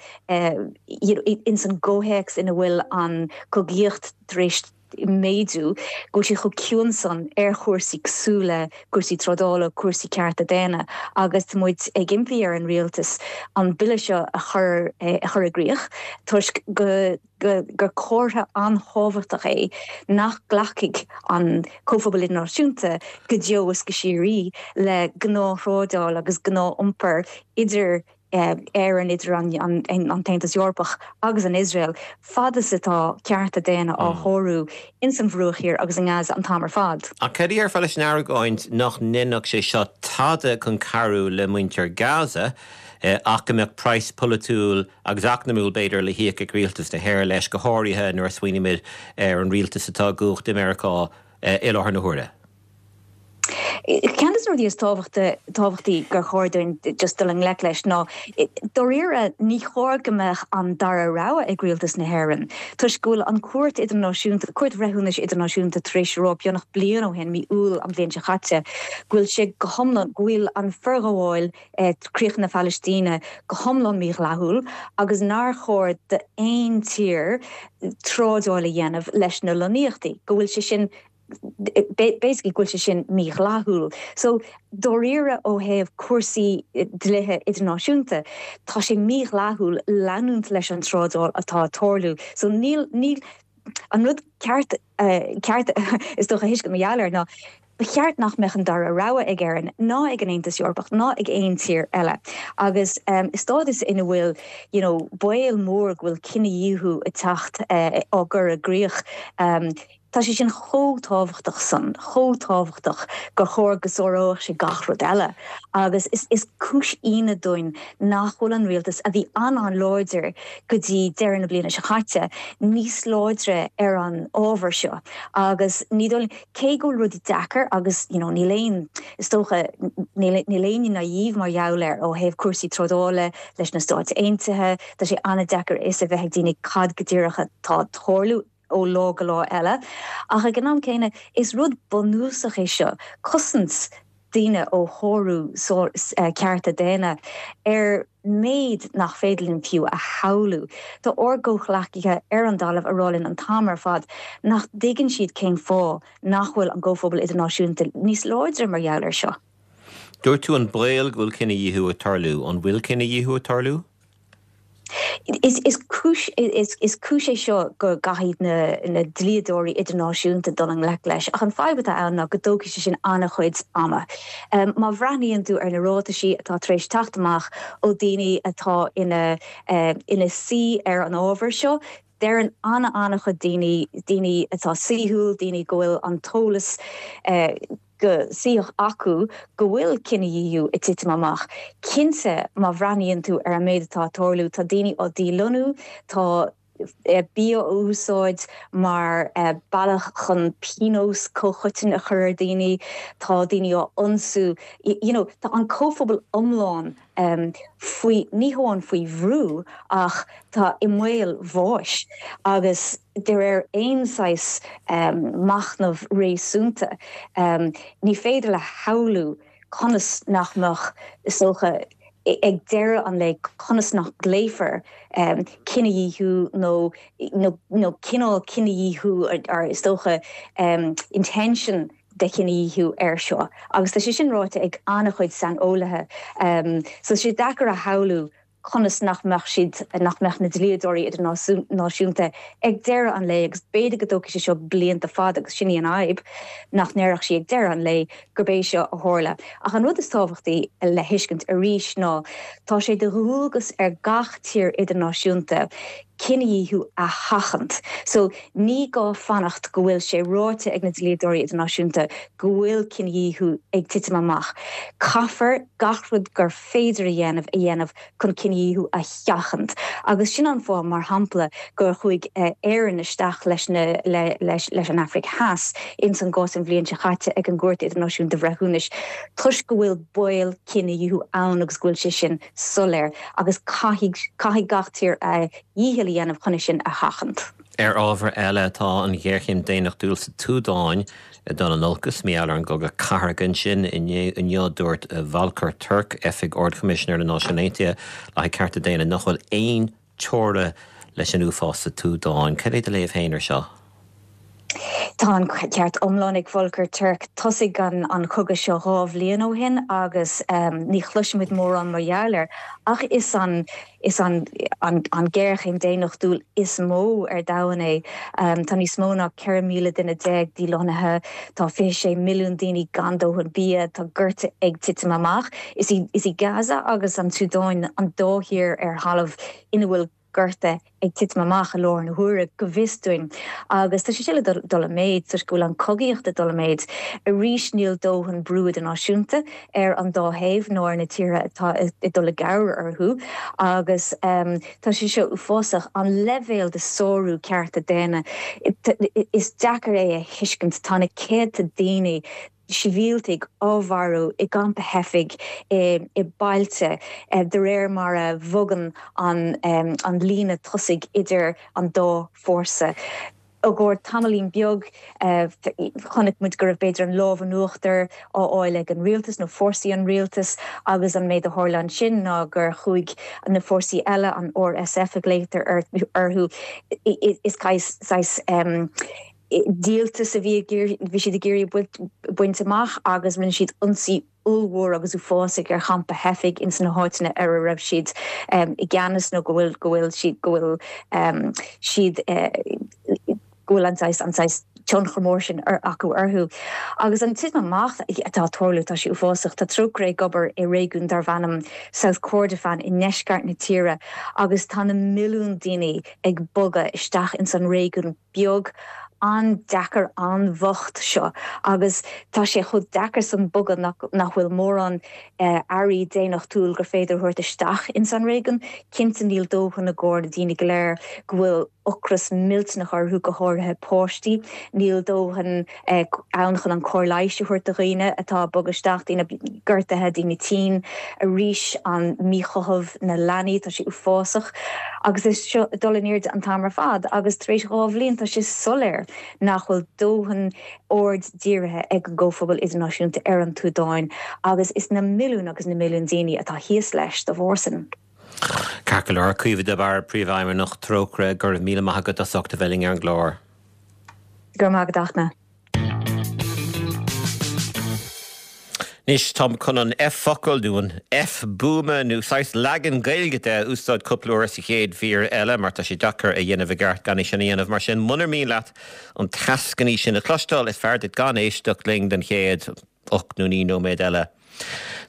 ins an gcomhthéacs ina bhfuil an cogaíocht tar éis méadú, go bhfuil siad chomh ciúin san ar chúrsaí cosúil le cúrsaí trádála, cúrsaí cearta daonna agus tá muid ag impí ar an rialtas an bille seo a chur a chur i gcrích toisc go gur comhartha an-thábhachtach é nach nglacfaidh an comhphobal idirnáisiúnta go deo is go síoraí le gnáth-thrádáil agus gnáth-iompar idir Éirinn, idir an tAontas Eorpach agus an Iosrael, fad is atá cearta daonna á shárú ins an Bhruach Thiar agus i nGaza an t-am ar fad. Ach cad a déarfá leis an argóint nach ndéanfadh sé seo tada chun cabhrú le muintir Gaza? ach go mbeadh praghas polaitiúil agus eacnamúil, b'fhéidir, le híoc ag rialtas na hÉireann leis, go háirithe nuair a smaoinímid ar an rialtas atá i gcumhacht i Meiriceá i láthair na huaire. Ceann de na rudaí is tábhachtaí gur chóir dúinn just dul i ngleic leis ná, dáiríre, ní chóir go mbeadh an dara rogha ag rialtas na hÉireann, toisc go bhfuil an Chúirt Idirnáisiúnta, Cúirt Bhreithiúnais Idirnáisiúnta tar éis a rá beagnach bliain ó shin, mí Iúil an bhliain seo chaite, go bhfuil sé go hiomlán, go bhfuil an forghabháil críocha na Palaistíne go hiomlán mídhleathúil agus nár chóir d'aon tír trádáil a dhéanamh leis na lonnaíochtaí, go bhfuil sé sin basically go bhfuil sé sin mídhleathúil. So, dáiríre ó thaobh cúrsaí dlíthe idirnáisiúnta, tá sé mídhleathúil leanúint leis an trádáil atá ag tarlú. So, níl, níl, an rud ceart, ceart is dócha a thuiscint mar gheall air ná ba cheart nach mbeadh an dara rogha ag Éirinn ná ag an Aontas Eorpach ná ag aon tír eile. Agus i stádas ina bhfuil, you know, baol mór go bhfuil cinedhíothú ag teacht, á gcur i gcrích, Tá sé sin chomh tábhachtach san, chomh tábhachtach gur chóir go sáródh sé gach rud eile. Agus is is cúis ionadh dúinn nach bhfuil an rialtas, a bhí an-an-láidir go dtí deireadh na bliana seo caite, níos láidre ar an ábhar seo. Agus ní dóigh liom, cé go bhfuil rudaí deacair agus you know níl aon, is dócha, níl níl éinne naive mar gheall air ó thaobh cúrsaí trádála leis na Stáit Aontaithe, tá sé an-deacair a fhios a bheith ag daoine cad go díreach atá ag tarlú. ó lá go lá eile. Ach ag an am céanna, is rud bunúsach é seo, cosaint daoine ó shárú cearta daonna ar méid nach féidir linn fiú a shamhlú. Tá ár gcomhghleacaithe ar an dtalamh ag rá linn an t-am ar fad nach dtuigeann siad cén fáth nach bhfuil an gcomhphobal idirnáisiúnta níos láidre mar gheall air seo. Dúirt tú an baol go bhfuil cinedhíothú ag tarlú. An bhfuil cinedhíothú ag tarlú? Is cúis is cúis é seo go gcaithfidh na na dlíodóirí idirnáisiúnta dul i ngleic leis, ach an fadhb atá ann ná go dtógfaidh sé sin an-chuid ama. Má bhreathnaíonn tú ar na ráitisí atá tar éis teacht amach ó daoine atá ina ina suí ar an ábhar seo, deireann an-an-chuid daoine, daoine atá saoithiúil, daoine go bhfuil an t-eolas go saíoch acu go bhfuil cinedhíothú ag titim amach. Cinnte, má bhreathnaíonn tú ar an méid atá ag tarlú, tá daoine á dílonnú, tá bia á úsáid mar bealach chun pionós comhchoiteann a chur ar daoine, tá daoine á ionsú, you know, tá an comhphobal iomlán faoi, ní hamháin faoi bhrú ach tá i mbaol bháis agus de réir aon saghas machnamh réasúnta ní féidir a shamhlú conas nach mbeadh, is dócha, ag deireadh an lae, conas nach nglaofar cinedhíothú nó nó cineál cinedhíothú or is dócha intention de chinedhíothú air seo agus tá sé sin ráite ag an-chuid saineolaithe. So tá sé deacair a shamhlú conas nach mbeadh siad, nach mbeadh na dlíodóirí idirnáisiúnta ag deireadh an lae, agus b'fhéidir go dtógfaidh sé seo blianta fada agus sin í an fhadhb, nach ndéarfadh sí ag deireadh an lae gurb é seo a tharla. Ach an rud is tábhachtaí le thuiscint arís ná tá sé de dhualgas ar gach tír idirnáisiúnta cinedhíothú a sheachaint. So, ní gá fanacht go bhfuil sé ráite ag na dlíodóirí idirnáisiúnta go bhfuil cinedhíothú ag titim amach. Caithfear gach rud gur féidir a dhéanamh a dhéanamh chun cinedhíothú a sheachaint. Agus sin an fáth, mar shampla, gur chuaigh Éirinn isteach leis na leis leis an Afraic Theas ins an gcás an bhliain seo chaite ag an gCúirt Idirnáisiúnta Bhreithiúnais toisc go bhfuil baol cinedhíothú ann agus go bhfuil sé sin soiléir agus caithfidh, caithfidh gach tír a dhícheall a dhéanamh chun é sin a sheachaint. Ar ábhar eile, tá an ghéarchéim daonnachtúil sa tSúdáin ag dul in olcas mar gheall ar an gcogadh cathartha ansin. Inniu, dúirt Volker Turk, Oifig Ard-Choimisinéir na Náisiún Aontaithe le haghaidh Cearta Daonna, nach bhfuil aon teora leis an uafás sa tSúdáin. Cad é do léamh féin ar seo? Tá an ceart iomlán ag Volker Turk. Thosaigh an cogadh seo 2 bhliain ó shin agus ní chloisimid mórán mar gheall air ach is an is an an géarchéim daonnachtúil is mó ar domhan é. Tá níos mó ná 14 míle duine dílonnaithe, tá 26 milliún daoine gan dóthain bia, tá gorta ag titim amach. Is í is í Gaza agus an tSúdáin an dá thír ar thalamh ina bhfuil. gorta ag titim amach i láthair na huaire, go bhfios dúinn. Agus tá sé seo le dul i méid, toisc go bhfuil an chogaíocht ag dul i méid. Arís, níl dóthain brú idirnáisiúnta ar an dá thaobh, ná ar na tíortha atá ag dul i gcabhair orthu. Agus tá sé seo uafásach, an leibhéal de sárú cearta daonna, is deacair é a thuiscint. Tá na céadta daoine, sibhialtaigh á mharú i gcampa theifigh i bailte de réir mar a bhogann an líne tosaigh idir an dá fórsa. I gcomhair tamaillín beag chonaic muid go raibh b'fhéidir an lámh in uachtar á fháil ag an rialtas nó fórsaí an rialtais agus an méid a tharla ansin ná gur chuaigh na fórsaí eile, an RSF a ghlaotar orthu, is saghas díoltas a bhí bhí siad ag iarraidh baint amach agus rinne siad ionsaí ollmhór agus uafásach ar champa theifigh ins na háiteanna ar a raibh siad i gceannas nó go bhfuil go bhfuil siad go bhfuil siad go bhfuil an saghas an saghas tionchar mór sin acu orthu. Agus an titim amach atá ag tarlú, tá sé uafásach. Tá Trócaire ag obair i réigiún darb ainm South Kordofan i ndeisceart na tíre agus tá na milliúin daoine ag bogadh isteach ins an réigiún beag an-deacair an-bhocht seo agus tá sé chomh deacair san bogadh nach bhfuil mórán earraí daonnachtúil gur féidir a thabhairt isteach ins an réigiún. Cinnte níl dóthain i gcomhair na daoine go léir go bhfuil ocras millteanach orthu, go háirithe páistí. Níl dóthain ann chun an cóir leighis a thabhairt do dhaoine atá ag bogadh isteach, daoine gortaithe, daoine tinn. Arís an míchothamh na leanaí, tá sé uafásach. Agus é seo ag dul in airde an t-am ar fad agus tar éis 2 bhliain tá sé soiléir nach bhfuil dóthain aird dírithe ag an gcomhphobal idirnáisiúnta ar an tSúdáin agus is na milliúin agus na milliúin daoine atá thíos leis dá bharr sin. Ceart go leor, Caoimhe de Barra, Príomhfheidhmeannach Trócaire, go raibh míle maith agat as ucht a bheith linn ar an gclár. Go raibh maith agat, a Fhachtna. Anois, táim chun an F-focal, nó an F-buama, nó saghas leagan Gaeilge de, a úsáid cúpla uair sa chéad mhír eile, mar tá sé deacair a dhéanamh i gceart gan é sin a dhéanamh. Mar sin, munar mian leat an t-eascainí sin a chloisteáil, is fearr duit gan éisteacht linn don chéad 8 nó 9 nóiméad eile.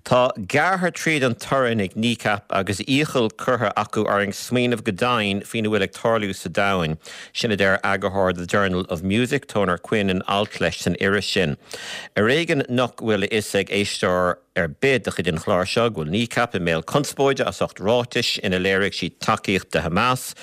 Tá gearrtha tríd an torann ag Kneecap agus iachall curtha acu orainn smaoineamh go domhain faoina bhfuil ag tarlú sa domhain. Sin a deir eagarthóir The Journal of Music, Toner Quinn, in alt leis san iris sin. Ar éigean nach bhfuil a fhios ag éisteoir ar bith de chuid an chláir seo go bhfuil Kneecap i mbéal conspóide as ucht ráitis ina léirigh siad tacaíocht do Hamas,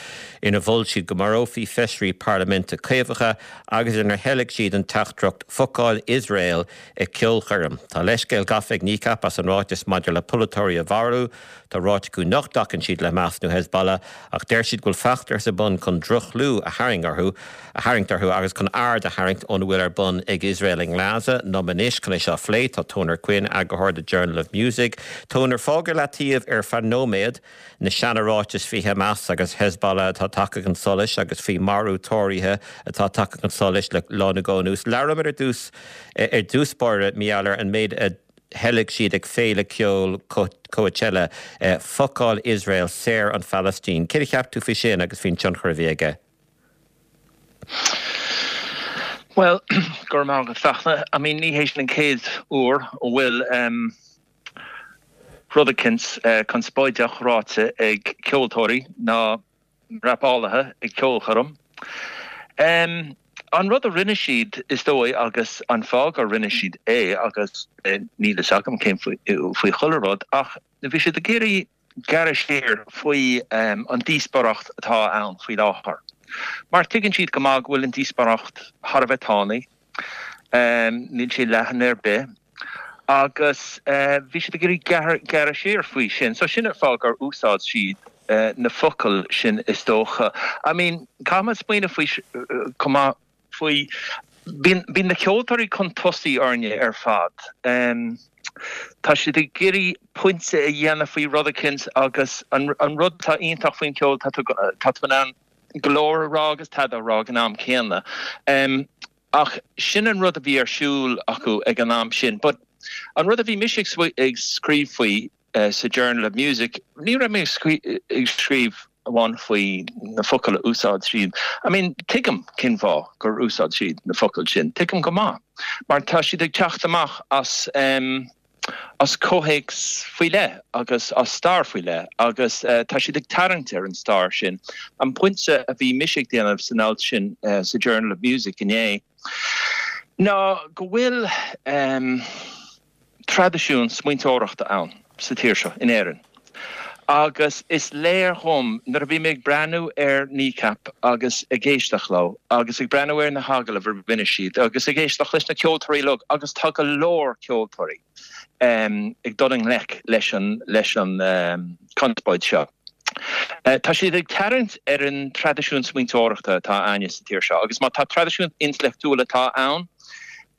ina mhol siad go marófaí feisirí parlaiminte caomhacha agus inar theilg siad an teachtaireacht 'Focáil Iosrael' I gceolchoirm. Tá leithscéal gafa ag Kneecap as an ráiteas maidir le polaiteoirí a mharú. Tá ráite acu nach dtacann siad le Hamas nó Hezbollah ach deir siad go bhfuil feachtas ar bun chun droch-chlú a tharraing orthu, a tharraingt orthu agus chun aird a tharraingt óna bhfuil ar bun ag Iosrael i nGaza. Liom anois chun é seo a phlé tá Toner Quinn, eagarthóir The Journal of Music. Toner, fág ar leataobh ar feadh nóiméad. Na seana-ráitis faoi Hamas agus Hezbollah atá tagtha chun solais agus faoi mharú Tóraithe atá tagtha chun solais le lá nó dhó anuas. Labhróimid ar dtús ar dtús báire mar gheall ar an méid a theilg siad ag féile ceoil Coachella, Focáil Iosrael, Saor an Phalaistín. Céard a cheap tú faoi sin agus faoin tionchar a bhí aige? Bhuel, go raibh maith agat, Fachtna. I mean, ní hé sin an chéad uair a bhfuil. rud eicínt conspóideach ráite ag ceoltóirí ná rapálaithe ag ceolchoirm. An rud a rinne siad, is dóigh, agus an fáth gur rinne siad é, agus níl fhios agam cén faoi chuile rud, ach bhí siad ag iarraidh gearradh siar faoi an díospóireacht atá ann faoi láthair. Mar tuigeann siad go maith go bhfuil an díospóireacht thar a bheith tanaí. Níl sé leathan ar bith. Agus bhí siad ag iarraidh gearradh siar faoi sin. So sin an fáth gur úsáid siad na focail sin is dócha. I mean, caithfidh muid smaoineamh faoi chomh maith faoi, bíonn, bíonn na ceoltóirí chun tosaigh orainne ar fad. Tá siad ag iarraidh pointe a dhéanamh faoi rud eicínt agus an rud atá iontach faoin cheol, tá tú, tá tú in ann go leor a rá agus tada a rá ag an am céanna. Ach sin an rud a bhí ar siúl acu ag an am sin. But an rud a bhí mise ag scríobh faoi sa Journal of Music, ní raibh mé ag scríobh amháin faoi na focail a úsáid siad. I mean, tuigim cén fáth gur úsáid siad na focail sin. Tuigim go maith. Mar tá siad ag teacht amach as. As comhthéacs faoi leith agus as stair faoi leith agus tá siad ag tarraingt ar an stair sin. An pointe a bhí mise ag déanamh san alt sin sa Journal of Music inné ná go bhfuil traidisiún smaointeoireachta ann sa tír seo, in Éirinn. Agus is léir dhom, nuair a bhí mé ag breathnú ar Kneecap agus ag éisteacht leo agus ag breathnú ar na hagallaimh a rinne siad agus ag éisteacht leis na ceoltóirí uilig, agus tá go leor ceoltóirí ag dul i ngleic leis an leis an conspóid seo. Tá siad ag tarraingt ar an traidisiún smaointeoireachta atá a'inne sa tír seo agus má tá traidisiún intleachtúil atá ann,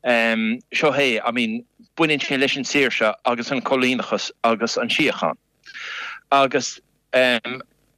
Seo é, I mean, baineann sé leis an saoirse agus an coilíneachas agus an síocháin. Agus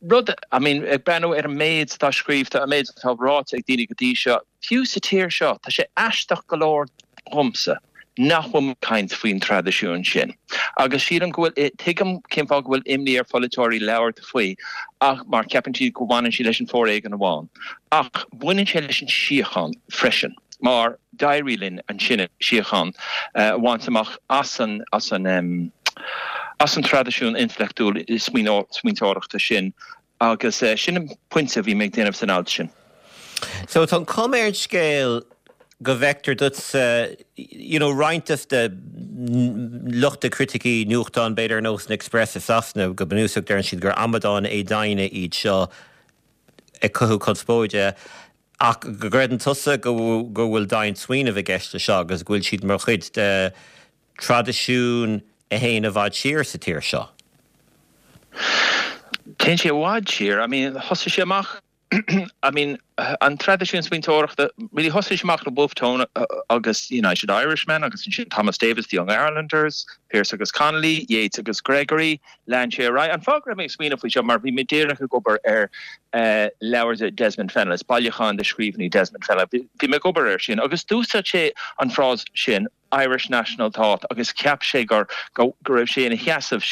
rud, I mean, ag breathnú ar an méid atá scríobhta, an méid atá ráite ag daoine go dtí seo, fiú sa tír seo, tá sé aisteach go leor dhomsa nach bhfuil muid ag caint faoin traidisiún sin. Agus sílim go bhfuil, tuigim cén fáth go bhfuil imní ar pholaiteoirí labhairt faoi ach mar ceapann siad go bhaineann sé leis an foréigean amháin. Ach baineann sé leis an síocháin freisin. mar d'éirigh linn ansin síocháin a bhaint amach as an as an as an traidisiún intleachtúil smaointeoireachta sin agus sin an pointe a bhí mé ag déanamh san alt sin. So tá an chuma ar an scéal go bhfeictear duitse you know roinnt de na lucht criticí nuachtán b'fhéidir ar nós an Express i Sasana go bunúsach deireann siad gur amadáin éadoimhne iad seo ag cothú conspóide. Ach go gcreideann tusa go bhfuil doimhne smaoinimh i gceist leis seo agus go bhfuil siad mar chuid de traidisiún a théann i bhfad siar sa tír seo? Téann sé i bhfad siar. I mean, thosaigh sé amach, I mean, an traidisiún smaointeoireachta, really thosaigh sé amach le Wolfe Tone agus United Irishmen agus ansin Thomas Davis, The Young Irelanders, Pearse agus Connolly, Yeats agus Gregory, Lean sé ar aghaidh. An fáth go raibh mé ag smaoineamh faoi seo mar bhí mé díreach ag obair ar leabhar de Desmond Fennelly, bailiúchán de scríbhinní Desmond Fennelly. Bhí mé ag obair air sin agus d'úsáid sé an frása sin Irish National Thought agus cheap sé gur go raibh sé ina sheasamh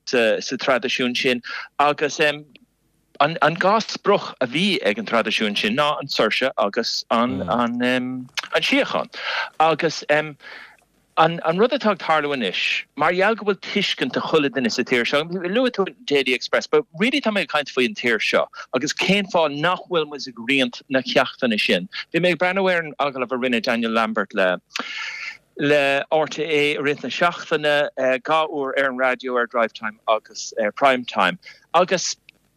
sa traidisiún sin agus an dá sprioc a bhí ag an traidisiún sin ná an tsaoirse agus an síocháin agus An rud atá ag tarlú anois, mar gheall go bhfuil tuiscint ag chuile duine sa tír seo, luaigh tú an Daily Express, but really tá mé ag caint faoi an tír seo agus cén fáth nach bhfuil muid ag roinnt na ceachtanna sin. Bhí mé ag breathnú ar an agallamh a rinne Daniel Lambert le le RTÉ i rith na seachtaine, 2 uair ar an raidió ar Drivetime agus ar Prime Time agus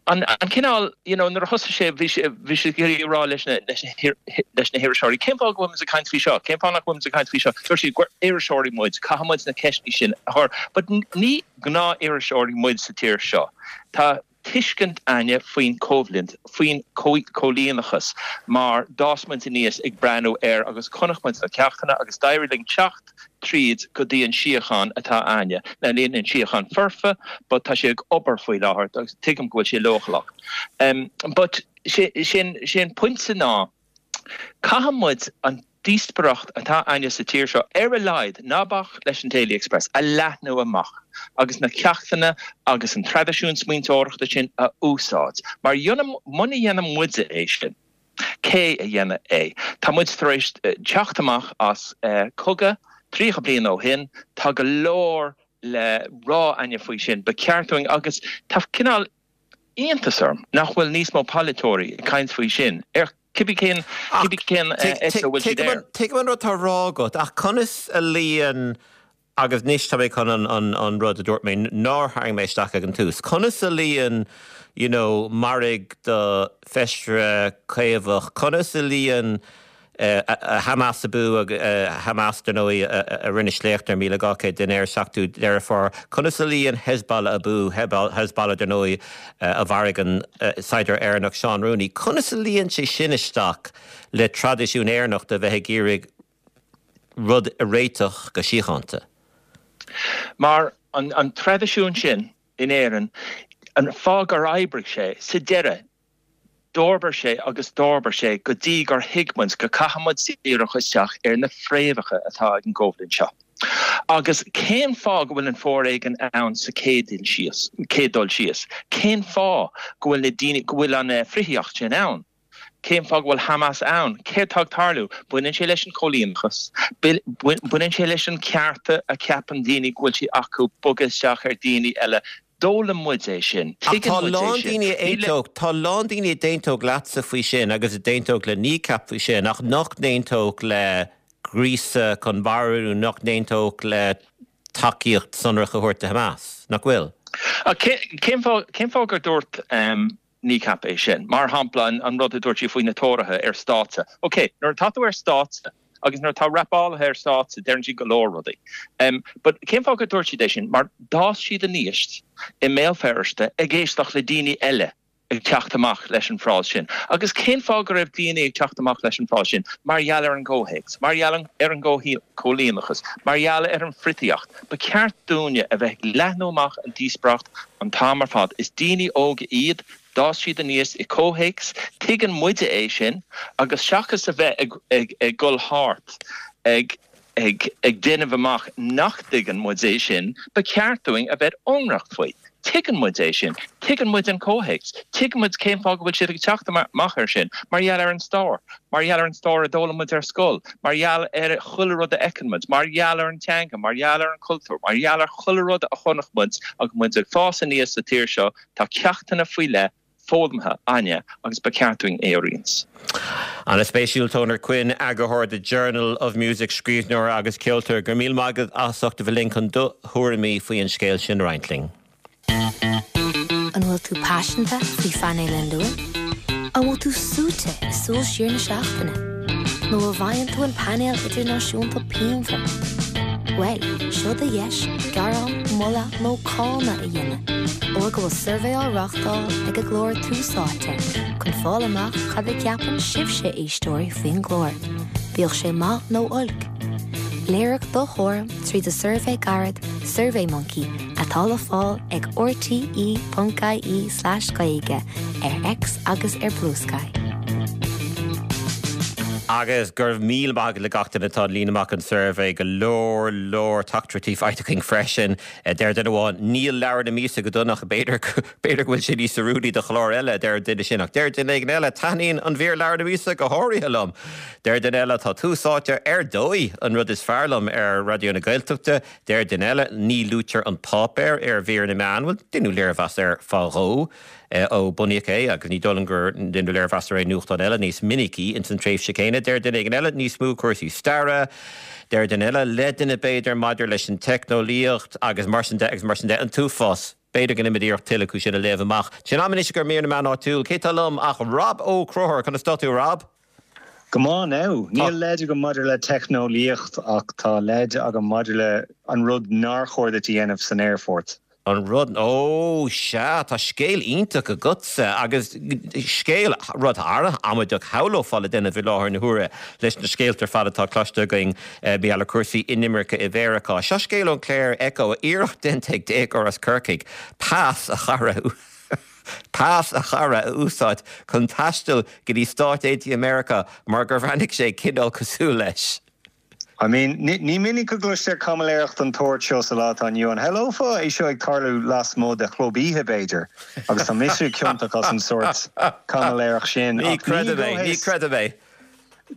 An cineál, you know, nuair a thosaigh sé, bhí sé, bhí sé ag iarraidh a rá leis na, leis na, leis na hiriseoirí, cén fáth go bhfuil muid ag caint faoi seo? Cén fáth nach bhfuil muid ag caint faoi seo? Dúirt siad gur iriseoirí muid, caithfidh muid na ceisteanna sin a chur. But ní gnáth-iriseoirí muid sa tír seo. Tá tuiscint a'inne faoin choimhlint, faoin choilíneachas, mar d'fhás muid aníos ag breathnú air agus chonaic muid na ceachtanna agus d'éirigh linn teacht tríd go dtí an síocháin atá a'inne. Now níl an síocháin foirfe but tá sé ag obair faoi láthair agus tuigim go bhfuil sé leochaileach. But sé sé an pointe ná caithfidh muid an díospóireacht atá a'inne sa tír seo ar a laghad, ná bac leis an Daily Express, a leathnú amach agus na ceachtanna agus an traidisiún smaointeoireachta sin a úsáid. Mar muna dhéanann muide é sin, Cé a dhéanfaidh é? Tá muid tar éis teacht amach as cogadh 30 bliain ó shin. Tá go leor le rá a'inne faoi sin. Ba cheart dúinn, agus tá cineál iontas orm nach bhfuil níos mó polaiteoirí ag caint faoi sin, ar cibé cén, cibé cén eite a bhfuil siad air. Tuigim an rud atá á rá agat, ach conas a luíonn Agus anois tá mé chun an rud a dúirt mé nár tharraing mé isteach ag an tús. Conas a luíonn you know maraigh do feisire caomhach, conas a luíonn Hamas abú, Hamas dar ndóigh a rinne sléacht ar 1,200 duine ar 7ú Deireadh Fómhair, conas a luíonn Hezbollah abú, Hezbollah dar ndóigh a mharaigh an saighdiúir Éireannach Seán Rooney, conas a luíonn sé sin isteach le traidisiún Éireannach de bheith ag iarraidh rud a réiteach go síochánta. Mar an traidisiún sin in Éirinn, an fáth gur oibrigh sé, sa deireadh, d'fhorbair sé agus d'fhorbair sé go dtí gur thuig muid go caithfidh muid díriú isteach ar na fréamhacha atá ag an gcoimhlint seo. Agus cén fáth go bhfuil an foréigean ann sa chéad dul síos, céad dul síos? Cén fáth go bhfuil na daoine, go bhfuil an frithíocht sin ann? Cén fáth go bhfuil Hamas ann? Céard tá ag tarlú? Baineann sé leis an choilíneachas. Baineann sé leis an cearta a cheapann daoine go bhfuil sé acu bogadh isteach ar daoine eile. D'fhoghlaim muid é sin. Ach Tuigeann tá muid é lán sin. daoine a Ní le. aontódh, tá lán daoine a d'aontódh leatsa faoi sin agus a d'aontódh le Kneecap faoi sin ach nach n-aontódh le gríosadh chun marú nó nach n-aontódh le tacaíocht sonrach a thabhairt do Hamas, nach bhfuil? Ach cén fáth, cén fáth gur dúirt Kneecap é sin? Mar shampla, an rud a dúirt sí faoi na Tóraithe ar stáitse. Ok, nuair atá tú ar stáitse agus nuair atá rapálaithe ar stáitse, deireann siad go leor rudaí. But cén fáth gur dúirt siad é sin? Mar d'fhás siad aníos i mBéal Feirste ag éisteacht le daoine eile ag teacht amach leis an frása sin. Agus cén fáth go raibh daoine ag teacht amach leis an frása sin? Mar gheall ar an gcomhthéacs, mar gheall ar an gcóilíneachas, mar gheall ar an bhfriotaíocht. Ba cheart dúinne a bheith ag leathnú amach an díospóireacht an t-am ar fad. Is daoine óga iad, d'fhás siad aníos i comhthéacs, tuigeann muide é sin agus seachas a bheith ag dul thart ag ag déanamh amach nach dtuigeann muid é sin, ba cheart dúinn a bheith ionraic faoi. Tuigeann muid é sin. Tuigeann muid an comhthéacs. Tuigeann muid cén fáth go bhfuil siad ag teacht amach air sin, mar gheall ar an stair, mar gheall ar an stair a d'fhoghlaim muid ar scoil, mar gheall ar chuile rud a fheiceann muid, mar gheall ar an teanga, mar gheall ar an chultúr, mar gheall ar chuile rud a chonaic muid agus muid ag fás aníos sa tír seo, tá ceachtanna faoi leith foghlamtha againne agus ba cheart dúinn é a roinnt. An-spéisiúil, Toner Quinn, eagarthóir The Journal of Music, scríbhneoir agus ceoltóir. Go raibh míle maith agat as ucht a bheith linn chun do thuairimí faoi an scéal sin a roinnt linn. An bhfuil tú paiseanta faoi phainéal an Luain? An bhfuil tú suaite i súil siar na seachtaine? Nó an bhfaigheann tú an painéal idirnáisiúnta pianmhar? Bhuel, seo do dheis gearán, moladh nó cáineadh a dhéanamh, óir go bhfuil suirbhé á reáchtáil ag an gclár Tús Áite chun fáil amach cad a cheapann sibhse éisteoirí faoin gclár, bíodh sé maith nó olc. Léirigh do thuairim tríd an suirbhé gairid SurveyMonkey atá le fáil ag rte.ie/gaeilge, ar X agus ar Bluesky. Agus go raibh míle maith agat le gach duine atá ag líonadh amach an suirbhé, go leor leor teachtaireachtaí faighte againn freisin. Deir duine amháin, níl leabhar na míosa go dona ach b'fhéidir b'fhéidir go bhfuil sé níos oiriúnaí do chlár eile, a deir an duine sin. Ach deir duine éigin eile, taitníonn an mhír leabhar na míosa go háirithe liom. Deir duine eile, tá tús áite ar dóigh an rud is fearr liom ar Raidió na Gaeltachta. Deir duine eile, ní luaitear an páipéar ar mhír na meán. Bhuel, deineadh léirmheas air fá dhó ó bunaíodh é agus ní dóigh liom gur deineadh léirmheas ar aon nuachtán eile níos minicí ins an tréimhse céanna. Deir duine éigin eile, níos mó cúrsaí staire. Deir duine eile, leideanna b'fhéidir maidir leis an teicneolaíocht agus mar sin de agus mar sin de. An t-uafás. B'fhéidir go ndéanfaimid iarracht tuilleadh acu sin a léamh amach. Tá sé in am anois ag mír na meán áitiúil. Cé tá liom ach Rob Ó Conchúir. Conas tá tú, a Rob? Go maith now. Níl leid agam maidir le teicneolaíocht ach tá leid agam maidir le an rud nár chóir duit a dhéanamh san aerfort. An rud, ó sea, tá scéal iontach agatsa agus scéal, rud an-amaideach shamhlófá le déanamh i láthair na huaire leis na scéalta ar fad atá cloiste againn mar gheall ar chúrsaí inimirce i Mheiriceá. Seo scéal ón Clare Echo, iarracht déanta ag déagóir as Corcaigh pas a chara pas a chara a úsáid chun taisteal go dtí Stáit Aontaithe Meiriceá mar gur bhreathnaigh sé cineál cosúil leis. I mean, ní minic a gcloistear caimiléireacht den tsórt seo sa lá atá inniu ann. Shamhlófá é seo ag tarlú lasmuigh de chlub oíche, b'fhéidir, agus tá mise ciontach as an sórt caimiléireacht sin, Ní ach ní i creidim é, ní gcomhthéacs. creidim é.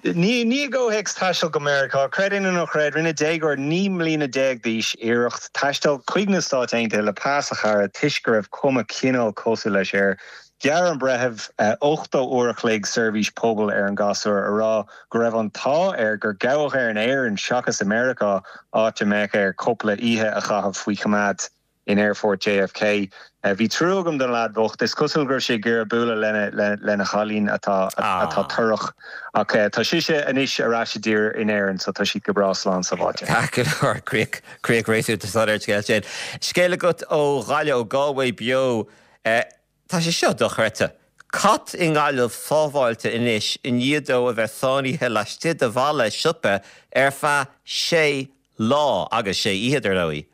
Ní i gcomhthéacs taisteal go Meiriceá. Creid é nó ná creid, rinne déagóir 19 mbliana d'aois iarracht taisteal chuig na Stáit Aontaithe le pas a chara toisc go raibh cuma cineál cosúil leis air. Ghearr an breitheamh 80 uair a chloig seirbhís pobail ar an ghasúr, a rá go raibh an t-ádh air gur gabhadh é in Éirinn seachas i Meiriceá, áit a mbeadh air cúpla oíche a chaitheamh faoi choimeád. in Aerfort JFK. Bhí trua agam don leaid bhocht. Is cosúil go raibh sé ag iarraidh bualadh lena chailín atá atá torrach. Ach tá sise anois ar ais i dtír in Éirinn so tá siad go breá slán sábháilte. Ceart go leor, críoch, críoch réasúnta soiléir ar an scéal sin. Scéal agat ó Ghaillimh, ó Galway Beo. Tá sé seo dochreidte. Cat i nGaillimh sábháilte anois i ndiaidh dó a bheith sáinnithe laistigh de bhalla siopa ar feadh sé lá, agus sé oíche, dar ndóigh.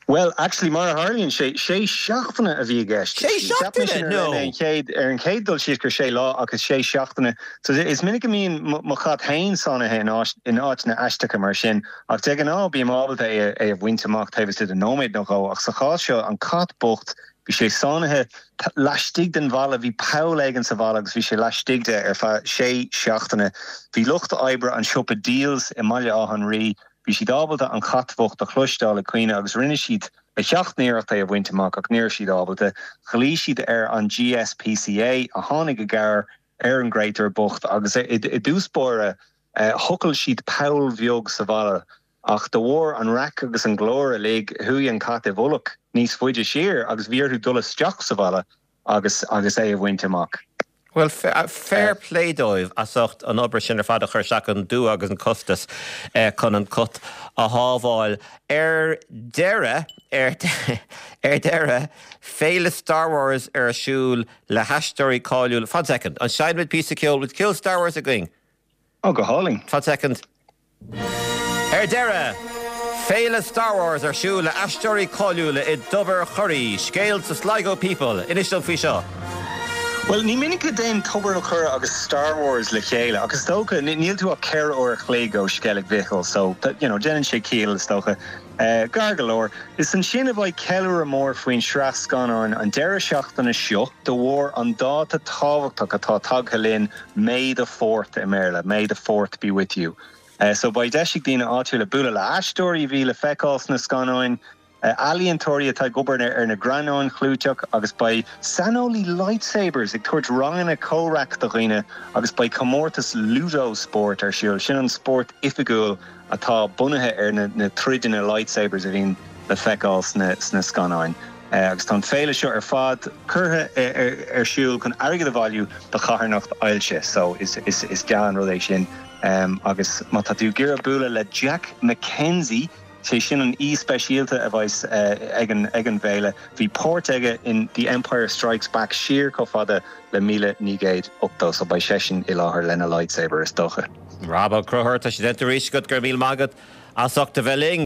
Bhuel, actually, mar a tharlaíonn sé, sé seachtaine a bhí i gceist. Sé Cheap mise seachtaine? No. ar an chéad, ar an chéad dul síos gur sé lá ach is sé seachtaine. So is minic a mbíonn mo chat féin sáinnithe in áit, in áiteanna aisteacha mar sin ach de ghnáth bím ábalta é, é a bhaint amach taobh istigh de nóiméad nó dhó ach sa chás seo, an cat bocht, bhí sé sáinnithe laistigh den bhalla, bhí poll éigin sa bhalla agus bhí sé laistigh de ar feadh sé seachtaine. Bhí lucht oibre an siopa Dealz i mBaile Átha an Rí, Bhí siad ábalta an chat bhocht a chloisteáil ag caoineadh agus rinne siad a sheacht n-iarracht é a bhaint amach ach ní raibh siad ábalta. Ghlaoigh siad ar an GSPCA a tháinig i gcabhair ar an gcréatúr bocht agus i dtús báire thochail siad poll bheag sa bhalla ach de bharr an raic agus an ghlóir uilig chuaigh an cat i bhfolach níos faide siar agus bhí orthu dul isteach sa bhalla agus agus é a bhaint amach. Bhuel, fair play dóibh as ucht an obair sin ar fad a chur isteach, an dua agus an costas chun an cat a shábháil. Ar deireadh, ar deireadh, féile Star Wars ar siúl le haisteoirí cáiliúla. Fan soicind, an seinnfimid píosa ceoil? Bhfuil ceol Star Wars againn? Ó, go hálainn. Fan soicind. Ar deireadh, Féile Star Wars ar siúl le aisteoirí cáiliúla i dTobar Churraí, scéal sa Sligo People. Inis dom faoi seo. Bhuel, ní minic a dtéann Tobar an Churra agus Star Wars le chéile, ach is dócha, níl tú ach 4 uair a chloig ó Sceilg Mhichíl, so, you know, déanann sé ciall, is dócha. Gar go leor. Is ansin a bheidh ceiliúradh mór faoin sraith scannáin an deireadh seachtaine seo de bharr an dáta tábhachtach atá tagtha linn, May the Fourth i mBéarla, May the Fourth be with you. So beidh deis ag daoine áitiúla bualadh le aisteoirí a bhí le feiceáil sna scannáin, ealaíontóirí atá ag obair ar na greannáin chlúiteach agus beidh saineolaí lightsabers ag tabhairt ranganna comhraic do dhaoine agus beidh comórtas Ludo spórt ar siúl, sin an spórt oifigiúil atá bunaithe ar na troideanna lightsabers a bhíonn le feiceáil sna scannáin. Agus tá an féile seo ar fad curtha ar siúl chun airgead a bhailiú do charthanacht ailse, so is dea an rud é sin. Agus má tá tú ag iarraidh bualadh le Jack McKenzie, sé sin an aoi speisialta a bheas ag an bhféile, bhí páirt aige in The Empire Strikes Back siar chomh fada le 1980, so beidh seisean i láthair lena lightsaber is dócha. Rob Ó Conchúir, tá sé déanta arís agat, go raibh míle maith agat as ucht a bheith linn.